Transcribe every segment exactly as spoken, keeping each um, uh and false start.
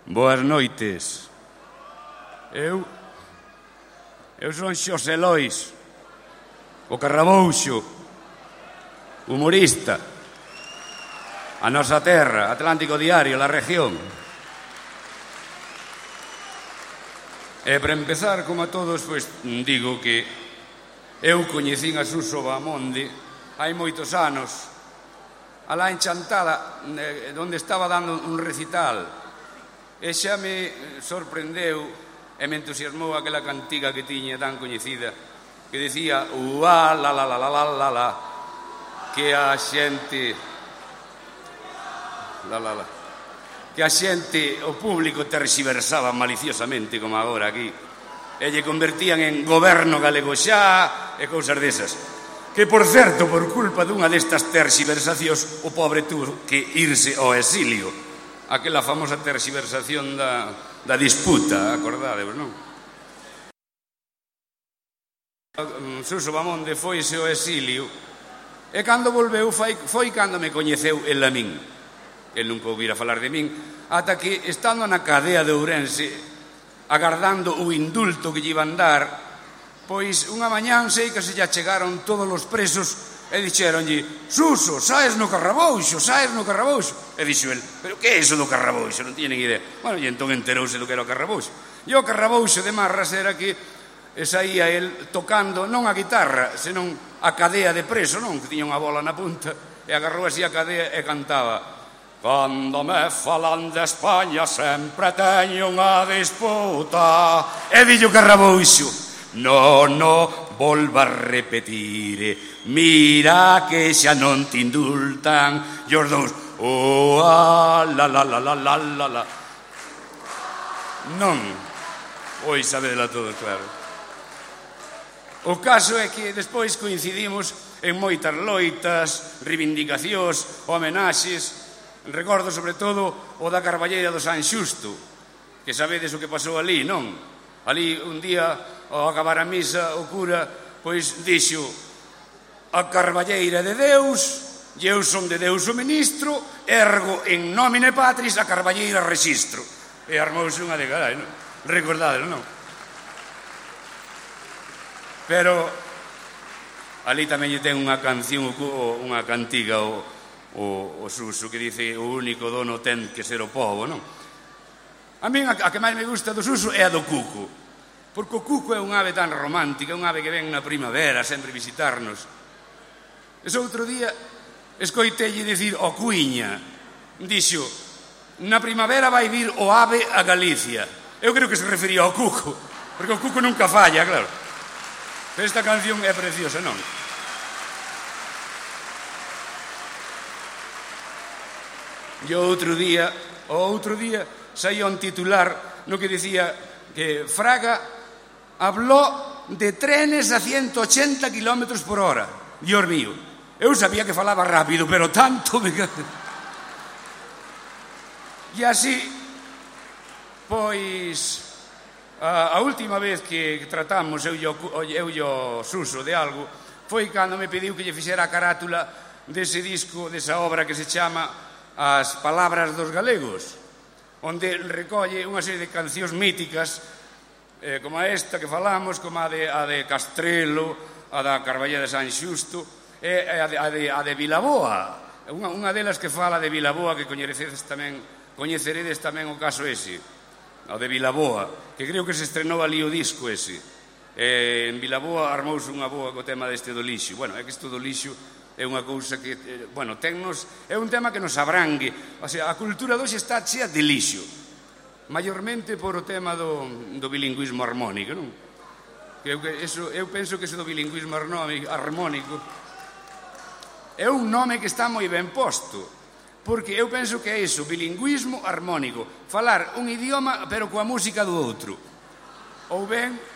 Boas noites. Eu... Eu son Xosé Lois, o Carrabouxo, humorista. A nosa terra, Atlántico Diario, la región. E para empezar, como a todos, pois digo que eu coñecín a Suso Bahamonde hai moitos anos, alá en Chantada, onde estaba dando un recital, e xa me sorprendeu e me entusiasmou aquela cantiga que tiña tan coñecida, que decía uá, la, la, la, la, la, la, la, que a xente la, la, la que a xente, o público terxiversaba maliciosamente, como agora aquí, e lle convertían en goberno galego xa e cousas desas. Que, por certo, por culpa dunha destas terxiversacións, o pobre tuvo que irse ao exilio. Aquela famosa terxiversación da, da disputa, acordadevos, non? Suso Bahamonde foise ao exilio e cando volveu foi, foi cando me coñeceu el a min. El nunca ouvira falar de min, ata que, estando na cadea de Ourense, agardando o indulto que lle iban dar, pois unha mañán sei que se lle chegaron todos os presos e dixeronlle: Suso, saes no Carrabouxo, saes no Carrabouxo. E dixo el: pero que é iso do Carrabouxo? Non tienen idea. Bueno, e entón enterouse do que era o Carrabouxo. E o Carrabouxo de Marras era que saía el tocando non a guitarra, senón a cadea de preso, non? Que tiña unha bola na punta, e agarrou así a cadea e cantaba: cando me falan de España sempre teño unha disputa. E dixo o Carrabouxo: no, no, volva a repetir, mira que xa non te indultan. E os dous: oh, ah, la, la, la, la, la, la, la. Non, oi sabedela todo, claro. O caso é que despois coincidimos en moitas loitas, reivindicacións, homenaxes. Recordo sobre todo o da Carballeira do San Xusto, que sabedes o que pasou ali, non? Ali un día, ao acabar a misa, o cura pois dixo: a Carballeira de Deus, e eu son de Deus o ministro, ergo en nomine patris a Carballeira rexistro. E armouse unha de carai, non? Recordádelo, non? Pero ali tamén lle ten unha canción, unha cantiga o O, o Suso, que dice: o único dono ten que ser o pobo, non? A min a, a que máis me gusta do Suso é a do cuco, porque o cuco é un ave tan romántica, un ave que ven na primavera sempre visitarnos. Ese outro día escoitelle dicir ao Cuiña, dixo: na primavera vai vir o ave a Galicia. Eu creo que se refería ao cuco, porque o cuco nunca falla, claro. Pero esta canción é preciosa, non? E o outro día, o outro día saía un titular no que dicía que Fraga habló de trenes a ciento ochenta kilómetros por hora. Dios mío, eu sabía que falaba rápido, pero tanto me... E así, pois, a, a última vez que tratamos eu e o Suso de algo foi cando me pediu que lle fixera a carátula dese disco, desa obra que se chama As palabras dos galegos, onde recolle unha serie de cancións míticas, eh, como a esta que falamos, como a de, a de Castrelo, a da Carballeira de San Xusto, e a de, a de, a de Vilaboa. Unha, unha delas que fala de Vilaboa, que coñeceredes tamén, coñeceredes tamén o caso ese, o de Vilaboa, que creo que se estrenou ali o disco ese. Eh, en Vilaboa armouse unha boa co tema deste do lixo. Bueno, é que isto do lixo é unha cousa que, bueno, tennos, é un tema que nos abrangue. O sea, a cultura doxe está chea de lixo, maiormente por o tema do, do bilingüismo armónico, non? Que eu, que eso, eu penso que eso do bilingüismo armónico é un nome que está moi ben posto, porque eu penso que é iso, bilingüismo armónico, falar un idioma pero coa música do outro, ou ben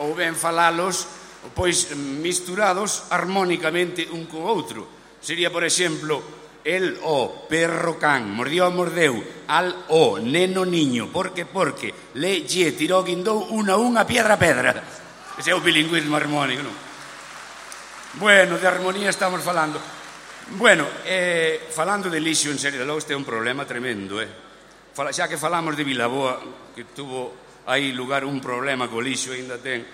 ou ben falalos pois misturados armónicamente un co outro. Sería, por exemplo, el o perro can, mordió mordeu, al o neno niño, porque porque le lle tirou guindou unha unha piedra pedra. Ese é o bilingüismo armónico, non? Bueno, de armonía estamos falando. Bueno, eh, falando de lixo, en serio, logo este é un problema tremendo, eh? Fala, xa que falamos de Vilaboa, que tuvo aí lugar un problema co lixo, ainda ten,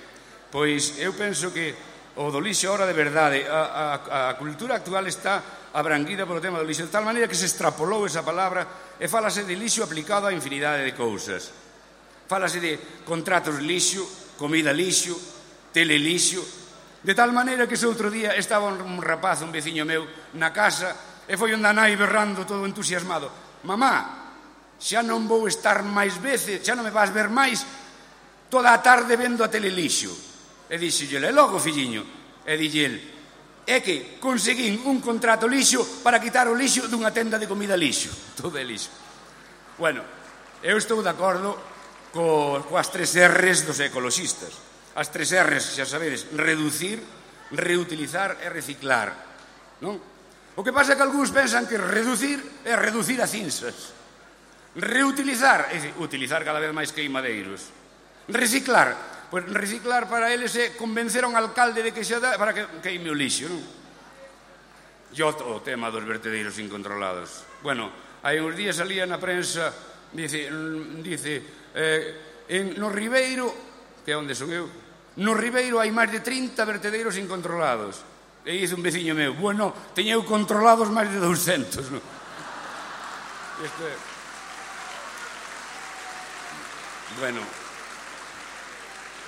pois eu penso que o do lixo ahora de verdade, a, a, a cultura actual está abranguida polo tema do lixo, de tal maneira que se extrapolou esa palabra e fálase de lixo aplicado a infinidade de cousas. Fálase de contratos lixo, comida lixo, telelixo, de tal maneira que ese outro día estaba un rapaz, un veciño meu, na casa e foi onde a nai berrando todo entusiasmado: mamá, xa non vou estar máis veces, xa non me vas ver máis toda a tarde vendo a telelixo. E dixelle: e logo, filliño? E dixelle: é que conseguín un contrato lixo para quitar o lixo dunha tenda de comida lixo. Todo é lixo. Bueno, eu estou de acordo co, coas tres R's dos ecoloxistas. As tres R's, xa sabedes: reducir, reutilizar e reciclar, non? O que pasa é que algúns pensan que reducir é reducir a cinzas. Reutilizar é utilizar cada vez máis queimadeiros. Reciclar, pois reciclar para eles é convencer a un alcalde de que xa dá para que queime o lixo, non? E o tema dos vertedeiros incontrolados. Bueno, hai uns días salía na prensa, dice, dice eh, en, no Ribeiro, que é onde son eu, no Ribeiro hai máis de trinta vertedeiros incontrolados. E dice un veciño meu: bueno, teñeu controlados máis de douscentos, non? Isto é... Bueno,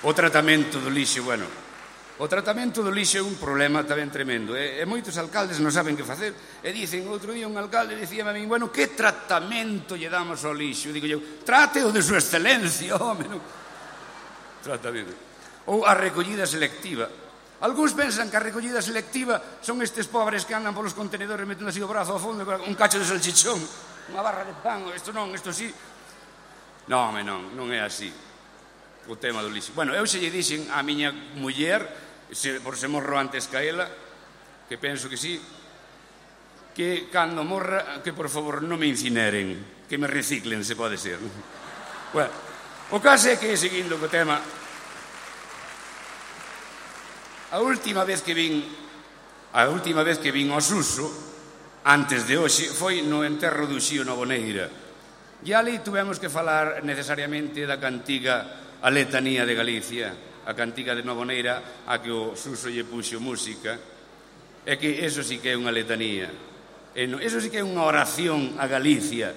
o tratamento do lixo, bueno, o tratamento do lixo é un problema tamén tremendo, e, e moitos alcaldes non saben que facer, e dicen, outro día un alcalde dicía a mí: bueno, que tratamento lle damos ao lixo? Digo eu: trate o de súa excelencia, home, non? Tratamento. Ou a recollida selectiva. Algúns pensan que a recollida selectiva son estes pobres que andan polos contenedores metendo así o brazo ao fondo con un cacho de salchichón, unha barra de pan, isto non, isto sí. Non, home, non, non é así o tema do lixo. Bueno, eu se lle dixen á miña muller, se, por se morro antes que a ela, que penso que sí, que cando morra, que por favor non me incineren, que me reciclen, se pode ser. Bueno, o caso é que, seguindo co tema, a última vez que vin a última vez que vin ao Suso, antes de hoxe, foi no enterro do Uxío Novoneira. E ali tuvemos que falar necesariamente da cantiga A Letanía de Galicia, a cantiga de Novoneira a que o Suso lle puxo música, é que eso sí que é unha letanía, e non, eso sí que é unha oración a Galicia,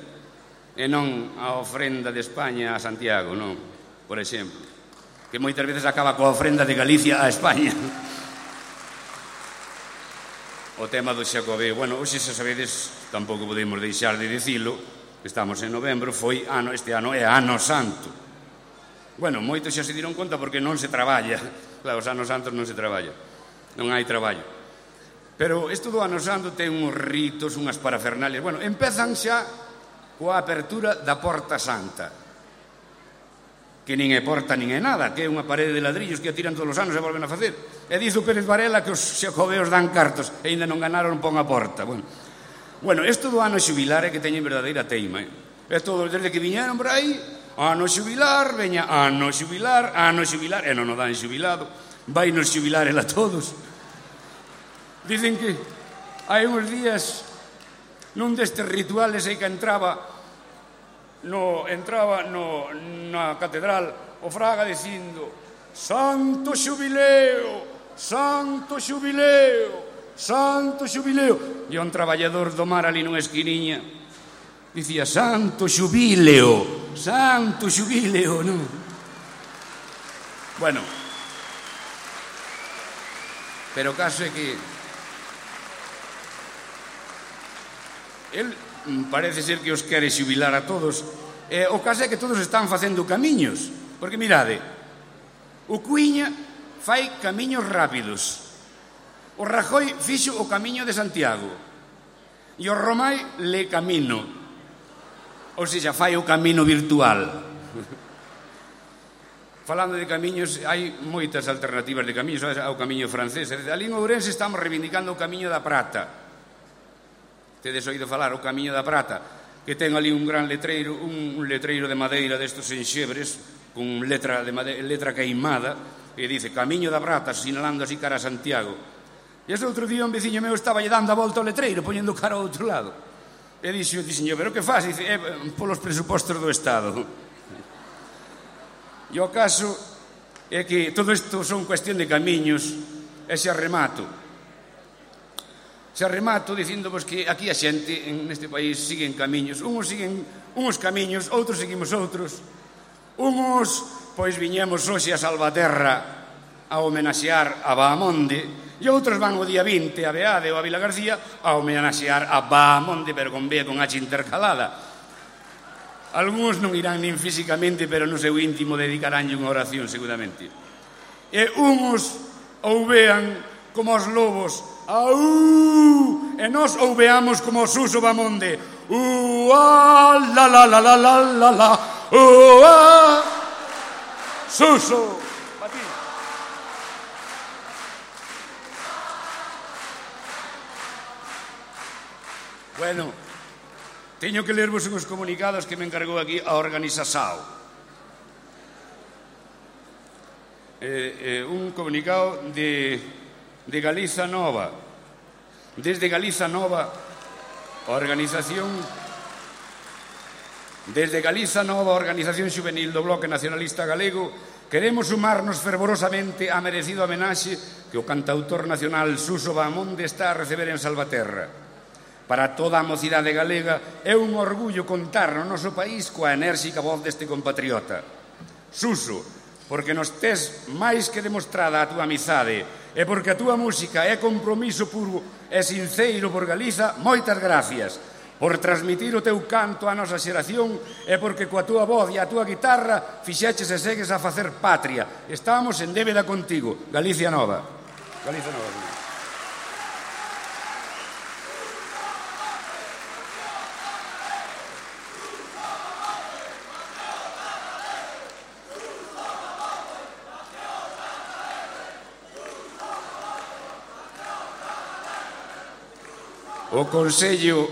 e non a ofrenda de España a Santiago, non, por exemplo, que moitas veces acaba coa ofrenda de Galicia a España. O tema do Xacobeo, bueno, hoxe, se sabedes, tampouco podemos deixar de dicilo, estamos en novembro, foi ano, este ano é ano santo. Bueno, moitos xa se diron conta porque non se traballa. Claro, os anos santos non se traballa, non hai traballo. Pero isto do ano santo ten uns ritos, unhas parafernalias. Bueno, empezan xa coa apertura da Porta Santa, que nin é porta nin é nada, que é unha parede de ladrillos que a tiran todos os anos e volven a facer. E diz o Pérez Varela que os xacobeos dan cartos e ainda non ganaron, pon a porta. Bueno, bueno, isto do ano xubilar é que teñen verdadeira teima, eh? É todo, desde que viñeron por aí, ano xubilar, veña, ano xubilar, ano xubilar, e non o dan xubilado, vai nos xubilar el a todos. Dicen que hai uns días, nun destes rituales, aí que entraba no, entraba no, na catedral o fraga dicindo: Santo xubileo, santo xubileo, santo xubileo. E un traballador do mar ali nunha esquiniña dicía: santo xubileo, santo xubileo, non? Bueno, pero o caso é que el parece ser que os quere xubilar a todos. E o caso é que todos están facendo camiños, porque mirade, o Cuíña fai camiños rápidos, o Rajoy fixo o camiño de Santiago e o Romai le camino, ou seja, fai o camino virtual. Falando de camiños, hai moitas alternativas de camiños ao camiño francés. Ali en Ourense estamos reivindicando o camiño da Prata. Tedes oído falar o Camiño da Prata, que ten ali un gran letreiro, un, un letreiro de madeira destos enxebres, con letra, de madeira, letra queimada, e dice Camiño da Prata, sinalando así cara a Santiago. E ese outro día un veciño meu estaba lle dando a volta ao letreiro, poñendo cara ao outro lado. E dixo, dixo, pero que faz? Dice, eh, polos presupostos do Estado. E o caso é que todo isto son cuestión de camiños, e xa remato. Xa remato dicíndovos que aquí a xente neste país siguen camiños. Uns siguen uns camiños, outros seguimos outros. Uns, pois, viñemos hoxe a Salvaterra a homenaxear a Bahamonde, e outros van o día vinte a Beade ou a Vila García a homenaxear a Bahamonde, pero con B con H intercalada. Algúns non irán nin físicamente, pero no seu íntimo dedicaránlle unha oración, seguramente. E uns ouvean como os lobos, aú, e nós ouveamos como o Suso Bahamonde, uá, la la la la la la la, uá, Suso. Bueno, teño que lervos uns comunicados que me encargou aquí a Organiza Sao. Eh, eh, un comunicado de, de Galiza Nova. Desde Galiza Nova, a organización... Desde Galiza Nova, a Organización Xuvenil do Bloque Nacionalista Galego, queremos sumarnos fervorosamente á merecido homenaxe que o cantautor nacional Suso Bahamonde está a receber en Salvaterra. Para toda a mocidade galega é un orgullo contar no noso país coa enérxica voz deste compatriota. Suso, porque nos tes máis que demostrada a túa amizade e porque a túa música é compromiso puro e sinceiro por Galiza, moitas gracias por transmitir o teu canto á nosa xeración e porque coa túa voz e a túa guitarra fixeches e segues a facer patria. Estamos en débeda contigo. Galicia Nova. Galicia Nova. O Consello,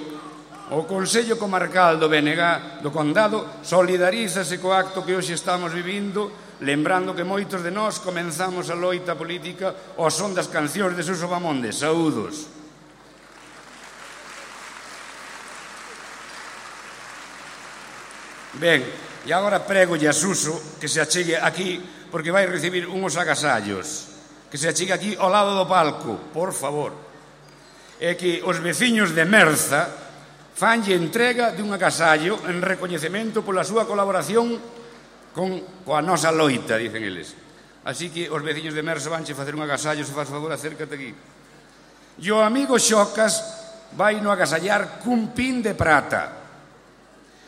o Consello Comarcal do B N G do Condado solidarízase co acto que hoxe estamos vivindo, lembrando que moitos de nós comenzamos a loita política ao son das cancións de Suso Bahamonde. Saúdos. Ben, e agora prégolle a Suso que se achegue aquí porque vai recibir uns agasallos. Que se achegue aquí ao lado do palco, por favor. É que os veciños de Merza fanlle entrega dun agasallo en recoñecemento pola súa colaboración con coa nosa loita, dicen eles. Así que os veciños de Merza vanche facer un agasallo, se faz favor, acércate aquí. E o amigo Xocas vai no agasallar cun pin de prata.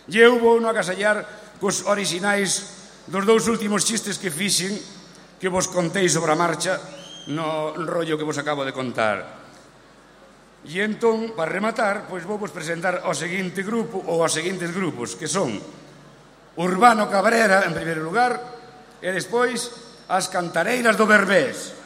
E eu vou no agasallar cos orixinais dos dous últimos chistes que fixen, que vos contei sobre a marcha no rollo que vos acabo de contar. E entón, para rematar, pois vou vos presentar ao seguinte grupo ou aos seguintes grupos, que son Urbano Cabrera, en primeiro lugar, e despois as Cantareiras do Berbés.